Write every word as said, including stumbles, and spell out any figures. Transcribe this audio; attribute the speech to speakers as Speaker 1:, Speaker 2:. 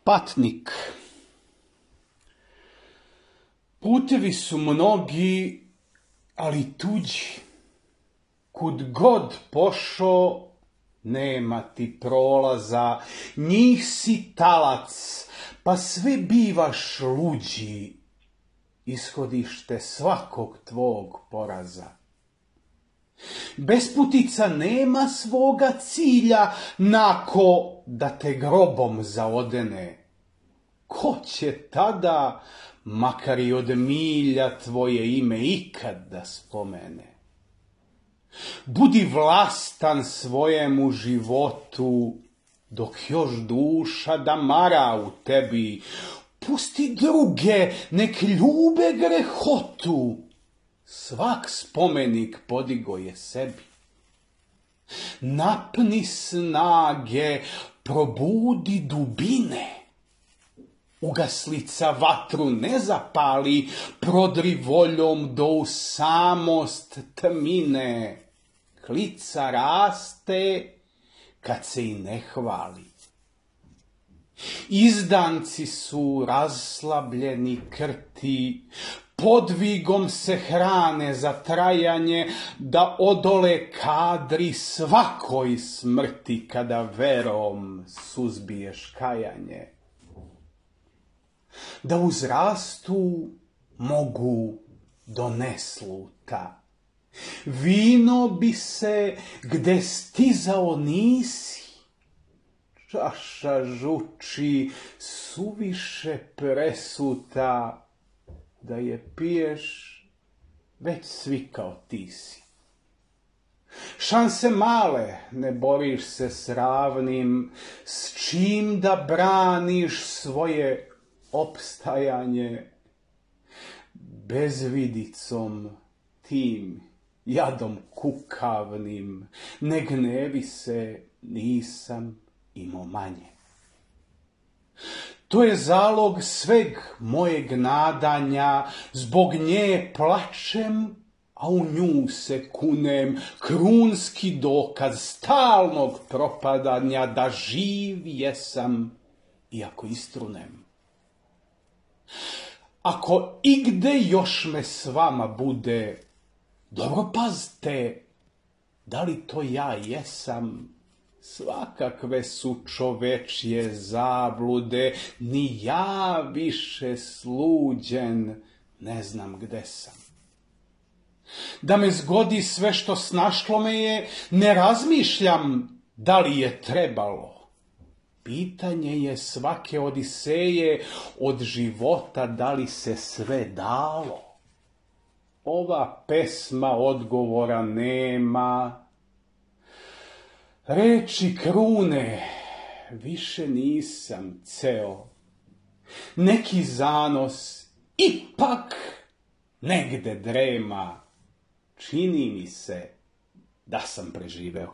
Speaker 1: Patnik. Putevi su mnogi, ali tuđi. Kud god pošo, nema ti prolaza. Njih si talac, pa sve bivaš luđi. Ishodište svakog tvog poraza. Besputica nema svoga cilja, nako da te grobom zaodene. Ko će tada, makar i od milja, tvoje ime ikad da spomene? Budi vlastan svojemu životu, dok još duša da mara u tebi. Pusti druge, nek ljube grehotu. Svak spomenik podigo je sebi. Napni snage, probudi dubine. Ugaslica vatru ne zapali, prodri voljom do u samost tmine. Klica raste kad se i ne hvali. Izdanci su raslabljeni krti, podvigom se hrane za trajanje, da odole kadri svakoj smrti, kada verom suzbiješ kajanje. Da uzrastu mogu do nesluta. Vino bi se gde stizao nisi. Čaša žuči suviše presuta, da je piješ, već svikao ti si. Šanse male, ne boriš se s ravnim, s čim da braniš svoje opstajanje. Bezvidicom tim, jadom kukavnim, ne gnevi se, nisam imao manje. To je zalog sveg mojeg nadanja, zbog nje plačem, a u nju se kunem, krunski dokaz stalnog propadanja, da živ jesam, iako istrunem. Ako igde još me s vama bude, dobro pazte, da li to ja jesam? Svakakve su čovečje zablude, ni ja više sluđen ne znam gde sam. Da me zgodi sve što snašlo me je, ne razmišljam da li je trebalo. Pitanje je svake odiseje od života, da li se sve dalo. Ova pesma odgovora nema. Reči krune, više nisam ceo. Neki zanos ipak negde drema. Čini mi se da sam preživeo.